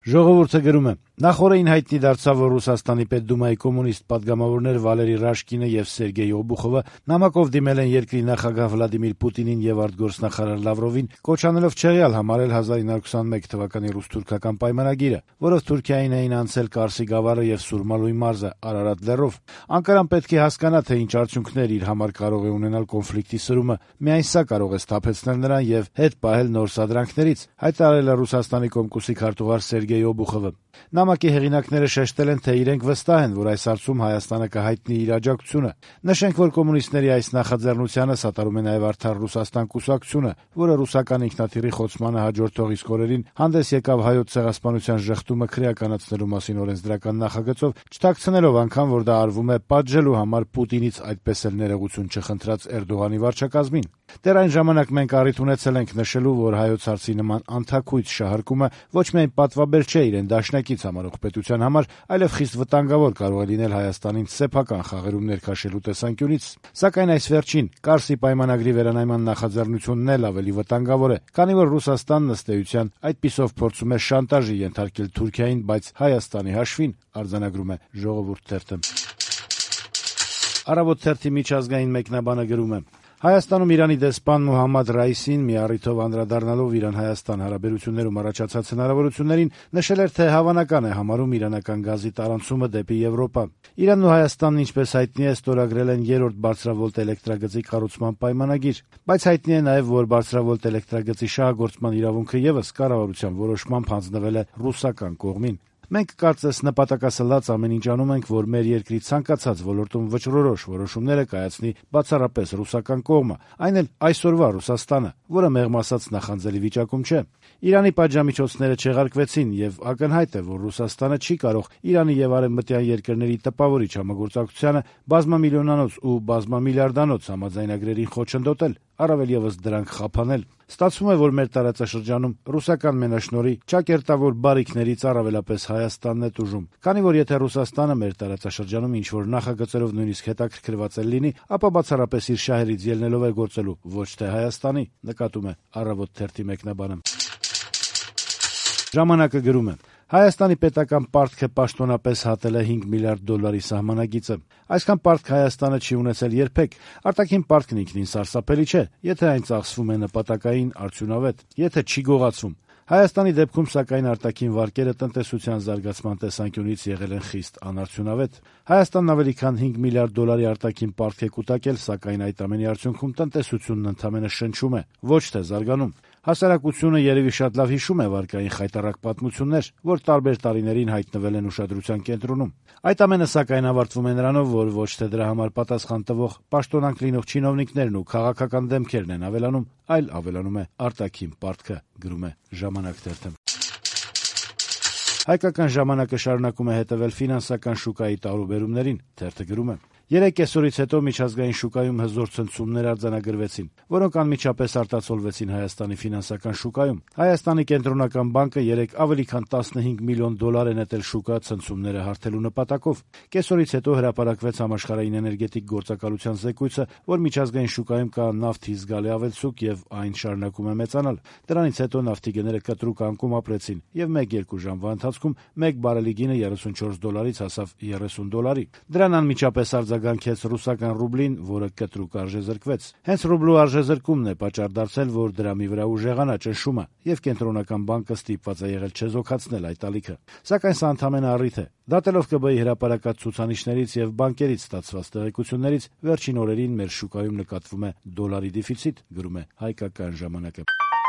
Ժողովուրդը գրում է. նախորդին հայտնի դարձավ, որ Ռուսաստանի Պետդումայի կոմունիստ պատգամավորներ Վալերի Ռաշկինը եւ Սերգեյ Օբուխովը նամակով դիմել են երկրի նախագահ Վլադիմիր Պուտինին եւ արտգործնախարար Լավրովին, կոչանելով չեղյալ համարել 1921 թվականի ռուս-թուրքական պայմանագիրը, որով Թուրքիային էին անցել Կարսի գավառը եւ Սուրմալույի մարզը Արարատ լեռով։ Անկարան պետք է հասկանա, թե ինչ արդյունքներ իր համար կարող է ունենալ կոնֆլիկտի սրումը։ Միայն սա կարող է սթափեցնել նրան եւ հետ պահել նոր սադրանքներից, հայտարարել է Ռուսաստանի Կոմկուսի քարտուղար Սերգեյ Օբուխովը։ Նամակի հեղինակները շեշտել են, թե իրենք վստահ են, որ այս հարցում Հայաստանը կհայտնի իր աջակցությունը։ Նշենք, որ կոմունիստների այս նախաձեռնությանը սատարում է նաև Արդար Ռուսաստան կուսակցությունը, որը ռուսական ինքնաթիռի խոցմանը հաջորդող իսկ օրերին հանդես եկավ Հայոց ցեղասպանության ժխտումը քրեականացնելու մասին օրենսդրական նախագծով, չթաքցնելով անգամ, որ դա արվում է պատժելու համար Պուտինից այդպես էլ ներողություն չխնդրած Էրդողանի վարչակազմին։ Դեռ այն ժամանակ մենք առիթ ունեցել ենք նշելու, որ հայոց հարցի նման անթաքույց շահարկումը ոչ միայն պատվաբեր չէ իրեն դաշնակից համարող պետության համար, այլև խիստ վտանգավոր կարող է լինել Հայաստանին սեփական խաղերում ներքաշելու տեսանկյունից։ Սակայն այս վերջին Կարսի պայմանագրի վերանայման նախաձեռնությունն էլ ավելի վտանգավոր է, քանի որ Ռուսաստանն ըստ էության այդպիսով փորձում է շանտաժի ենթարկել Թուրքիային, բայց Հայաստանի հաշվին, արձանագրում է Ժողովուրդ թերթը։ Առավոտ թերթի միջազգային մեկնաբանը գրում է. Հայաստանում Իրանի դեսպան Մուհամմադ Ռայիսին մի առիթով անդրադառնալով Իրան-Հայաստան հարաբերություններում առաջացած հնարավորություններին նշել էր, թե հավանական է համարում իրանական գազի տարանցումը դեպի Եվրոպա։ Իրանն ու Հայաստանն, ինչպես հայտնի է, ստորագրել են 3-րդ բարձրավոլտ էլեկտրագծի կառուցման պայմանագիր, բայց հայտնի է նաև, որ բարձրավոլտ էլեկտրագծի շահագործման իրավունքը ևս կառավարության որոշմամբ հանձնվել է ռուսական կողմին։ Մենք կարծես նպատակասլաց ամեն ինչ անում ենք, որ մեր երկրի ցանկացած ոլորտում վճռորոշ որոշումները կայացնի բացառապես ռուսական կողմը, այն էլ այսօրվա Ռուսաստանը, որը մեղմ ասած նախանձելի վիճակում չէ։ Իրանի պատժամիջոցները չեղարկվեցին եւ ակնհայտ է, որ Ռուսաստանը չի կարող Իրանի եւ արևմտյան երկրների տպավորիչ համագործակցությանը բազմամիլիոնանոց ու բազմամիլիարդանոց համաձայնագրերին խոչընդոտել, առավել եւս դրանք խափանել։ Ստացվում է, որ մեր տարածաշրջանում ռուսական մենաշնորհի ճակերտավոր բարիքներից առավելապես Հայաստանն է տուժում, քանի որ եթե Ռուսաստանը մեր տարածաշրջանում ինչ-որ նախագծերով նույնիսկ հետաքրքրված էլ լինի, ապա բացառապես իր շահերից ելնելով է գործելու, ոչ թե Հայաստանի, նկատում է Առավոտ թերթի մեկնաբանը։ Ժամանակը գրում է. Հայաստանի պետական պարտքը պաշտոնապես հատել է $5 միլիարդ սահմանագիծը։ Այսքան պարտք Հայաստանը չի ունեցել երբեք։ Արտաքին պարտքն ինքնին սարսափելի չէ, եթե այն ծախսվում է նպատակային, արդյունավետ, եթե չի գողացվում։ Հայաստանի դեպքում, սակայն, արտաքին վարկերը տնտեսության զարգացման տեսանկյունից եղել են խիստ անարդյունավետ։ Հայաստանն ավելի քան $5 միլիարդ արտաքին պարտք է կուտակել, սակայն այդ ամենի արդյունքում տնտեսությունն ընդամենը շնչում է, ոչ թե զարգանում։ Հասարակությունը երևի շատ լավ հիշում է վարկային խայտառակ պատմություններ, որ տարբեր տարիներին հայտնվել են ուշադրության կենտրոնում։ Այդ ամենը, սակայն, ավարտվում է նրանով, որ ոչ թե դրա համար պատասխան տվող պաշտոնանկ լինող չինովնիկներն ու քաղաքական դեմքերն են ավելանում, այլ ավելանում է արտաքին պարտքը, գրում է Ժամանակ թերթը։ Հայկական ժամանակը շարունակում է հետևել ֆինանսական շուկայի տարուբերումներին, թերթը գրում է. 3 կեսօրից հետո միջազգային շուկայում հզոր ցնցումներ արձանագրվեցին, որոնք անմիջապես արտացոլվեցին Հայաստանի ֆինանսական շուկայում։ Հայաստանի կենտրոնական բանկը 3 ավելի քան $15 միլիոն է նետել շուկա ցնցումները հարթելու նպատակով։ Կեսօրից հետո հրապարակվեց համաշխարհային էներգետիկ գործակալության զեկույցը, որ միջազգային շուկայում կա նավթի զգալի ավելցուկ եւ այն շարունակում է մեծանալ։ Դրանից հետո նավթի գները կտրուկ անկում ապրեցին եւ 1-2 ժամվա ընթացքում 1 բարելի գինը $34-ից հասավ $30։ Դրան անմիջապես արձագանքեց ռուսական ռուբլին, որը կտրուկ արժեզրկվեց։ Հենց ռուբլու արժեզրկումն է պատճառ դարձել, որ դրամի վրա ուժեղանա ճնշումը, եւ կենտրոնական բանկը ստիպված է եղել չեզոքացնել այդ ալիքը։ Սակայն սա ընդամենը առիթ է։ Դատելով ԿԲ-ի հրապարակած ցուցանիշներից եւ բանկերից ստացված տեղեկություններից, վերջին օրերին մեր շուկայում նկատվում է դոլարի դեֆիցիտ, գրում է Հայկական ժամանակը։